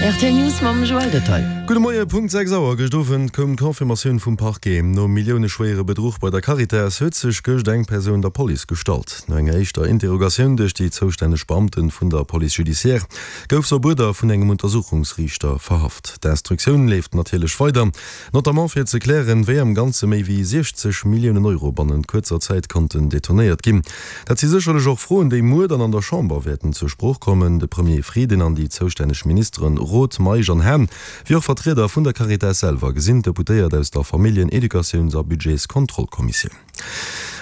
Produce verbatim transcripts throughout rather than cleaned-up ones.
Rtl News mam Joël Detail. Gudde Moie, Punkt sechs Auer. Gëscht Owend koum d'Confirmatioun vum Parquet. Nom milliouneschwéiere Bedruch bei der Caritas huet sech gëscht eng Persoun der Police gestallt. No enger éischter Interrogatioun duerch déi zoustänneg Beamte vun der Police judiciaire gouf se op Uerder vun engem Untersuchungsriichter verhaft. D'Instruktioun leeft natierlech weider, notamment fir ze klären, wéi am Ganze méi wéi siechzeg Milliounen Euro bannent kuerzer Zäit konnten detournéiert ginn. Dat si sécherlech och Froen, déi muer dann an der Chamber wäerten zur Sprooch kommen. De Premier Frieden an déi zoustänneg Ministeren Roth, Meisch an Hahn, wéi och Vertrieder vun der Caritas selwer gesinn d'Deputéiert aus der Familljen-, Educatiouns a Budgetskontrollkommissioun.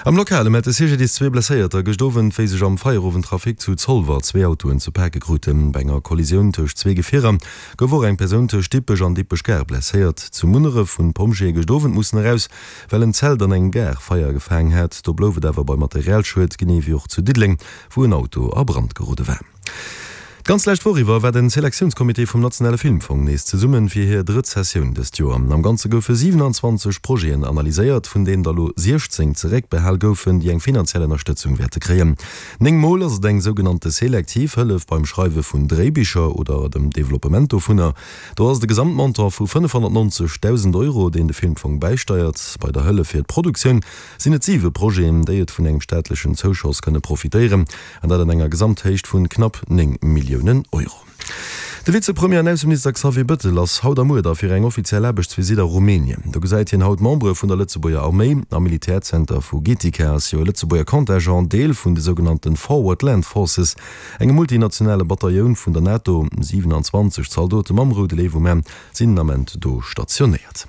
Am Lokale mellt de C G D I S zwee Blesséierter gëscht Owend, wéi sech am Feierowendtrafic zu Zolwer zwee Autoen ze pake kruten. Bei enger Kollisioun tëscht zwee Gefierer gouf och eng Persoun tëscht Dippech an Dippech-Gare blesséiert. Zu Munneref hunn d'Pompjeeë gëscht Owend mussen eraus, well en Zelt an engem Gaart Feier gefaangen hat. Do blouf et awer bei Materialschued, genee wéi och zu Diddeleng, wou en Auto a Brand gerode war. D'ganz lescht Woch iwwer war den Selektiounscomité vum Nationale Filmfong nees zesummen fir hir drëtt Sessioun dëst Joer. Am Ganze goufe siwenanzwanzeg Projeten analyséiert, vun deenen der elo siechzéng zeréckbehal goufen, déi eng finanziell Ënnerstëtzung wäerte kréien. Néng Mol ass et eng sougenannte selektiv Hëllef beim Schreiwe vun Dréibicher oder dem Developpement dovunner. Do ass et e Gesamtmontant vu fënnefhonnertnonzeg Dausend Euro, deen de Filmfong bäisteiert. Bei der Hëllef fir d'Produktioun sinn et siwe Projeten, déi et vun engem staatlechen Zouschoss kënne profitéieren, an dat an enger Gesamthéicht vun knapp néng Milliounen Euro. De Vizepremier an Ausseminister Xavier Bëttel ass haut a muer da fir eng offiziell Aarbechtsvisitt a Rumänien. Do gesäit hien haut d'Membere vun der Lëtzebuerger Arméi. Am Militärzenter vu Getica ass jo e Lëtzebuerger Contingent Deel vun de sougenannte Forward Land Forces, engem multinationale Batailloun vun der NATO. siwenanzwanzeg Zaldote mam Roude Léiw um Aarm sinn den Ament do stationéiert.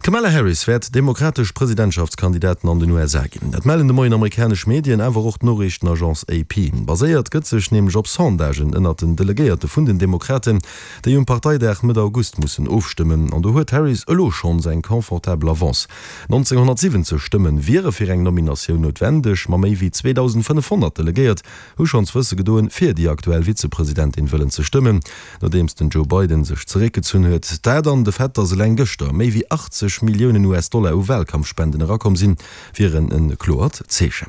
D'Kamala Harris wäert demokratesch Presidentschaftskandidaten an den U S A ginn. Dat mellen de Moien amerikanesch Medien, awer och d'Noriichtenagence A P. Baséiert gëtt sech nämlech op Sondagen ënnert den Delegéierte vun den Demokraten, déi um Parteidag Mëtt August mussen ofstëmmen. An do huet d'Harris elo schonns eng confortabel Avance. nonzénghonnertsiwwenzeg Stëmme wiere fir eng Nominatioun noutwendeg, ma méi wéi zweedausendfënnefhonnert Delegéiert hu schonns wësse gedoen, fir déi aktuell Vizepresidentin wëllen ze stëmmen, nodeems den Joe Biden sech zeréckgezunn huet. Dat an de Fait, datt eleng gëschter méi wéi achtzeg Milliounen U S-Dollar u Walkampfspenden erakomm sinn, wieren e kloert Zeechen.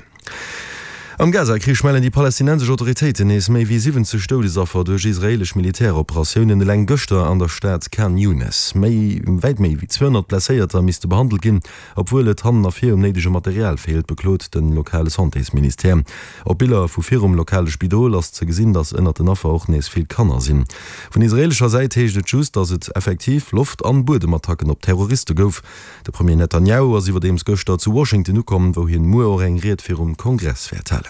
Am Gaza-Krich mellen déi palästinensesch Autoritéiten nees méi wéi siwwenzeg Doudesaffer duerch israeelesch Militäroperatiounen, eleng gëschter an der Stad Khan Younes. Méi wäit méi wéi zweehonnert Blesséierter misste behandelt ginn, obwuel et hannen a vir um néidege Material feelt, beklot de lokale Santésministère. Op Biller vu virum lokale Spidol ass ze gesinn, datt ënnert den Affer och nees vill Kanner sinn. Vun israeelescher Säit heescht et just, datt et effektiv Loft an Buedemattacken op Terroriste gouf. De Premier Netanjahu ass iwwerdeems gëschter zu Washington ukomm, wou hien muer och eng Ried virum Kongress wäert halen.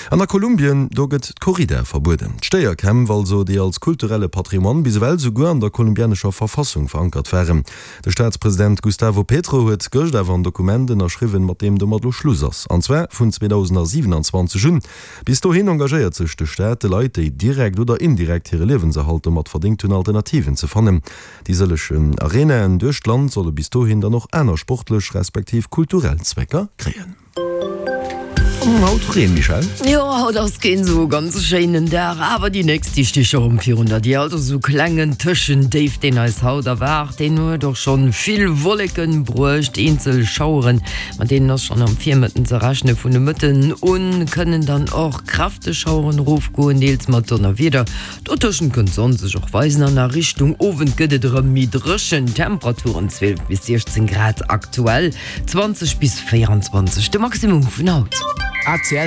An a Kolumbien, do gëtt d'Corrida verbueden. D'Stéierkämpf also, déi als kulturelle Patrimoine bis ewell souguer an der kolumbianescher Verfassung verankert waren. De Staatspresident Gustavo Petro huet gëscht awer en Dokument ënnerschriwwen, mat deem domat elo Schluss ass. An zwar vun zweedausendsiewenanzwanzeg un. Bis dohin engagéiert sech de Staat, de Leit, déi direkt oder indirekt hire Liewenserhalt domat verdéngt hunn, Alternativen ze fannen. Déi sëllegen Arenaen duerch d'Land solle bis dohin dann och aner sportlech respektiv kulturell Zwecker kréien. Haut Reen, Michèle? Jo, haut ass keen sou ganz schéinen Dag, awer déi nächst déi sti scho rëm virun der Dier. Also sou klengen Tëschendéif, deen eis haut erwaart, deen huet och schonn vill Wolleken bruecht, eenzel Schaueren, mat deenen ass schonn am Virmëtten ze rechnen. Vun de Mëtten un kënnen dann och kräfteg Schaueren erofgoen, deels mat Donnerwieder. Dotëschent kënnt d'Sonn sech och weisen an a Richtung Owend gëtt et erëm méi dréchen. Temperaturen zwielef bis siechzéng Grad aktuell, zwanzeg bis véieranzwanzeg de Maximum vun haut. A C L.